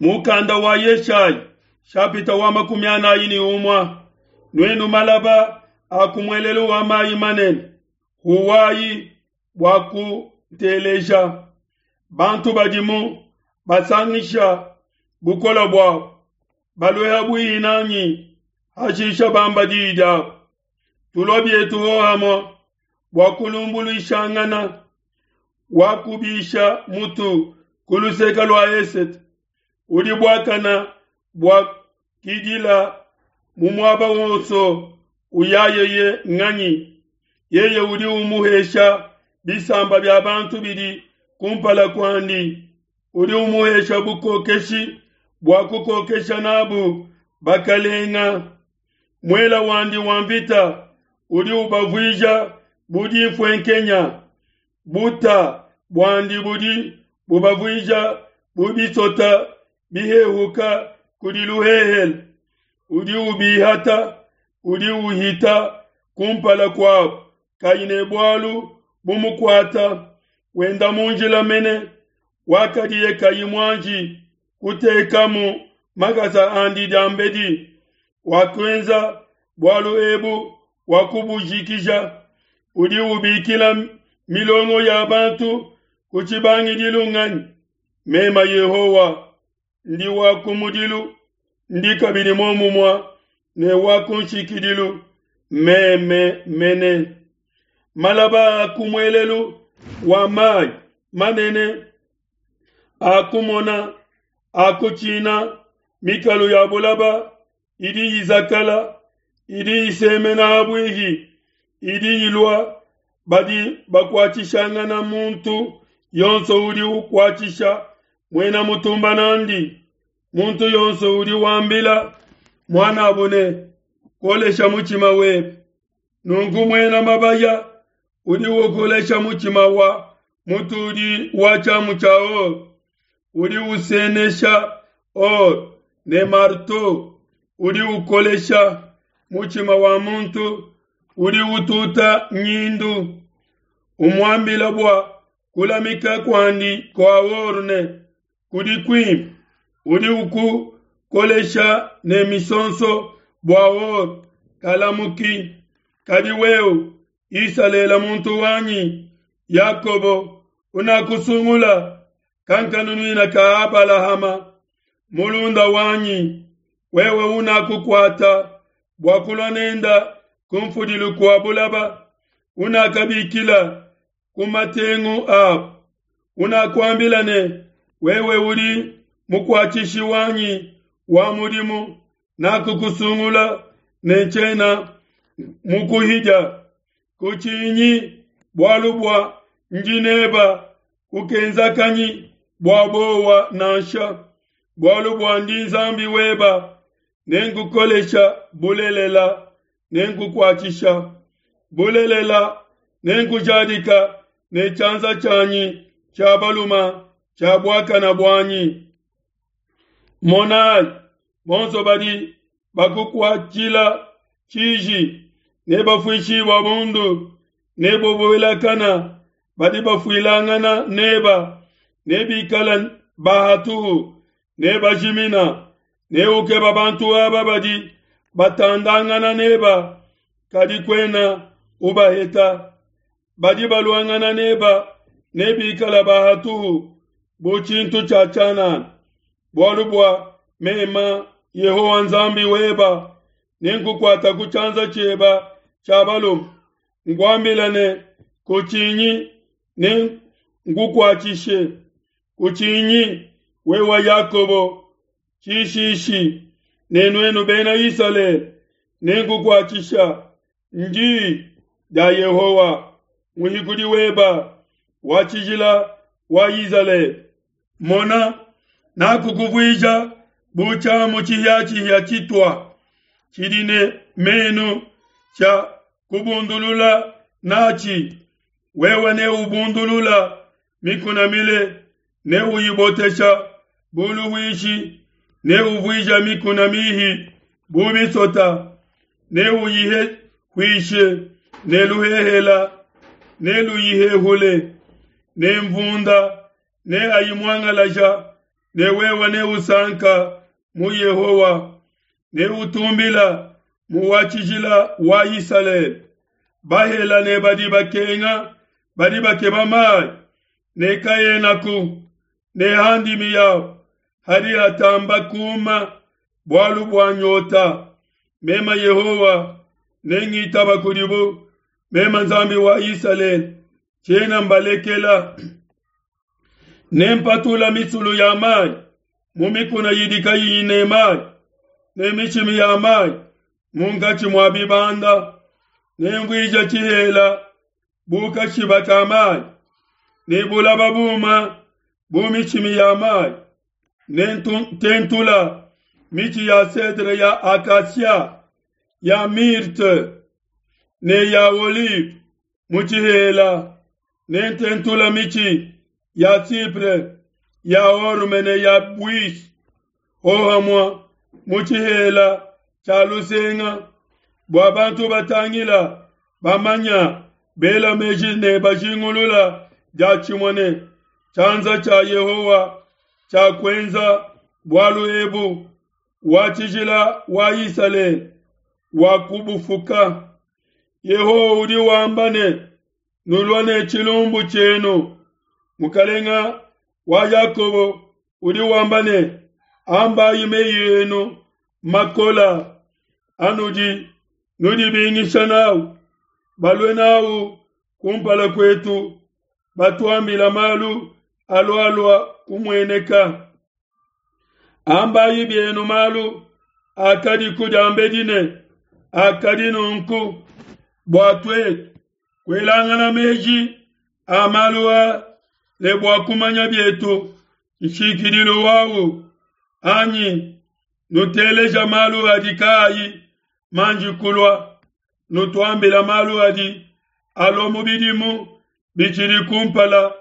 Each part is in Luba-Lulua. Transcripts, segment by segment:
Mukanda wa Yeshayi shapita wa 41. Nuenu malaba a ku muelelu wa mayi manene, huwayi bua kuteleja. Bantu badimu basangisha bukole buabu, balue habuihi nanyi, hashisha bamba diyi diabu. Tulua bietu hohamue bua kulumbuluishangana. Wakubisha mutu ku luseke lua esete, udi buakana bua kidila mu muaba wonso uyayeye nganyi? Yeye udi umuhesha bisamba bia bantu bidi kumpala kuandi, udi umuhesha bukokeshi bua kukokesha nabu bakalenga. Muela wandi wa mvita udi ubavuija bu dinfuenkenya, buta buandi budi bubavuija bu bisota bihehuka kudi luhehele. Udi ubihata, udi uhita kumpala kuabo, kayi ne bualu bumukuata, wenda mu njila mene wakadiye kayi muanji kutekamu makasa andi diambedi. Wakuenza bualu ebu, wakubujikija. Udi ubikila milongo ya bantu ku tshibangidilu nganyi? Mema Yehowa ndi wa kumudilu, ndi kabidi muomumue ne wa ku nshikidilu, meme mene. Malaba a ku muelelu wa mayi manene a kumona a kutshina, mikalu ya bulaba idi izakala, idi isemena habuihi, idi ilua. Badi bakuatshishangana, muntu yonso udi ukuatshisha muena mutumba nandi. Muntu yonso udi wambila muanabo ne, Kolesha mutshima webe. Nunku muena mabaya udi ukolesha mutshima wa mutudi wa tshiamu tshia or, udi usenesha or ne marteau, udi ukolesha mutshima wa muntu udi ututa nyindu, umuambila bua kulamika kuandi kua or ne kudi kuimpe, udi ukukolesha ne misonso bua or kalamuki. Kadi wewe Isalele muntu wanyi, Yakobo unakusungula, kankanunuina ka Abalahama mulunda wanyi, wewe unakukuata bua kulua nenda ku mfudilu kua bulaba, unakabikila ku matengu abu, unakuambila ne, wewe udi mukuatshishi wanyi wa mudimu, nakukusungula ne ntshiena mukuhidia. Kutshinyi, bualu bua ndi neba, kukenzakanyi bua bowa nansha, bualu bua ndi Nzambi weba, nenkukolesha bulelela, nenkukuatshisha bulelela, nenkujadika ne tshianza tshianyi tshia baluma tshia buakana buanyi. Monayi, bonso badi bakukuatshila tshiji nebafuishibua bundu, nebubuelakana badi bafuilangana neba, nebikala bahatuhu, nebajimina. Neukeba bantu aba badi batandangana neba, kadi kuena ubaheta. Badi baluangana neba nebikala bahatuhu bu tshintu tshia tshianana. Bualu bua mema Yehowa Nzambi weba nenkukuata ku tshianza tshieba tshia balume, nkuambila ne, Kutshinyi, nenkukuatshishe. Kutshinyi, wewe Yakobo tshishishi, ne nuenu Bena Isalele, nenkukuatshisha. Ndi dia Yehowa, Muhikudi weba, wa Tshijila wa Izalele. Mona, nakukuvuija bu tshiamu tshihiatshihia tshitua, tshidi ne menu tshia kubundulula natshi. Wewe neubundulula mikuna mile, neuyibotesha bu luhuishi, neuvuija mikuna mihi bu misota, neuyihehuishe ne luhehela, neluyihehule ne mvunda, neayimuangalaja. Ne wewe neusanka mu Yehowa, neutumbila mu wa tshijila wa Isalele. Bahela ne badi bakenga badi bakeba mayi, ne kaenaku, ne ha ndimi yabo hadi hatamba kuma bualu bua nyota. Meme Yehowa nengitaba kudibu, meme Nzambi wa Isalele tshiena mbalekela. Nempatula misulu ya mayi mu mikuna idi kayiyi ne mayi, ne mishimi ya mayi munkatshi mua bibanda. Nemvuija tshihela bu kashiba ka mayi, ne bulaba buma bu mishimi ya mayi. Nententula mitshi ya cedre, ya acacia, ya myrte ne ya olive mu tshihela. Nententula mitshi ya cypre, ya orme ne ya buis hohamua mu tshihela tshia lusenga, bua bantu batangila bamanya bela meji ne bajingulula diatshimue ne tshianza tshia Yehowa tshiakuenza bualu ebu, wa tshijila wa Isalele wakubufuka. Yehowa udi wamba ne, Nulua ne tshilumbu tshienu. Mukalenga wa Yakobo udi wamba ne, Ambayi meyi enu makola anudi nudibingisha nawu, balue nawu kumpala kuetu, batuambila malu alualua kumueneka. Ambayi bienu malu akadiku diambedi ne akadi nunku, bua tuetu kuelangana meji a malu aa ne bua kumanya bietu nshikidilu wawu, anyi nuteleja malu adi kaayi manji kulua, nutuambila malu adi alua mu bidimu bitshidi kumpala,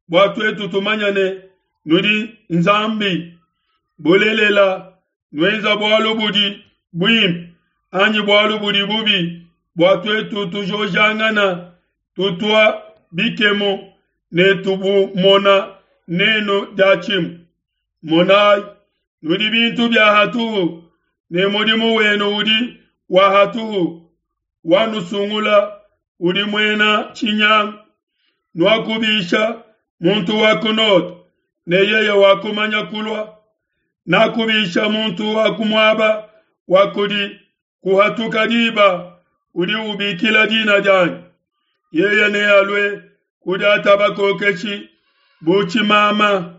bua tuetu tumanya ne nudi Nzambi. Bulelela, nuenza bualu budi buimpe anyi bualu budi bubi, bua tuetu tujojangana, tutua bikemu ne tubumona nenu diatshimue. Monayi, nudi bintu bia hatuhu, ne mudimu wenu udi wa hatuhu. Wanusungula udi muena tshinyangu. Nuakubisha muntu wa ku node, ne yeye wakumanya kulua. Nakubisha muntu wa ku muaba wa kudi kuhatuka diba, udi ubikila dina dianyi. Yeye nealue kudiata bakokeshi bu tshimama,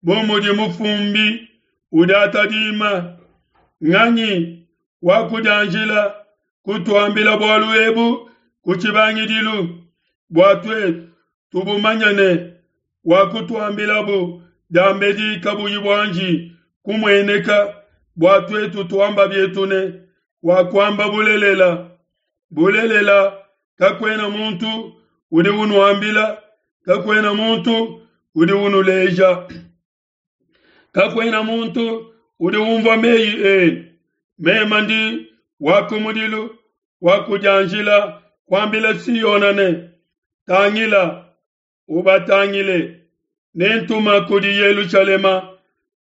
bu mudi mufumbi udiata dima. Nganyi wakudianjila kutuambila bualu ebu ku tshibangidilu, bua tuetu tubumanye ne wakutuambilabu diambedi kabuyi buanji kumueneka, bua tuetu tuamba bietu ne wakuamba bulelela? Bulelela, kakuena muntu udi unuambila, kakuena muntu udi unuleja. Kakuena muntu udi umvua meyi enu. Meme ndi wa kumudilu wakudianjila kuambila Siona ne, Tangila, ubatangile, nentuma kudi Yelushalema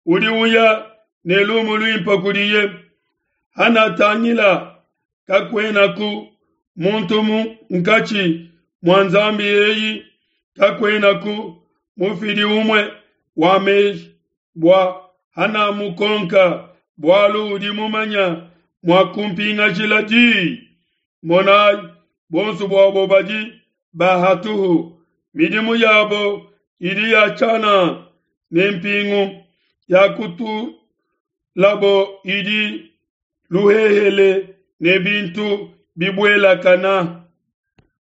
udi uya ne lumu luimpe kudiye. Hanatangila, kakuenaku muntu munkatshi mua nzambi eyi, kakuenaku mufidi umue wa meji, bua hanamukonka bualu udi mumanya mua kumpingashila diyi. Monayi, bonso buabo badi ba hatuhu, midimu yabo idi ya tshianana, ne mpingu ya kutulabo idi luhehele ne bintu bibuelakana.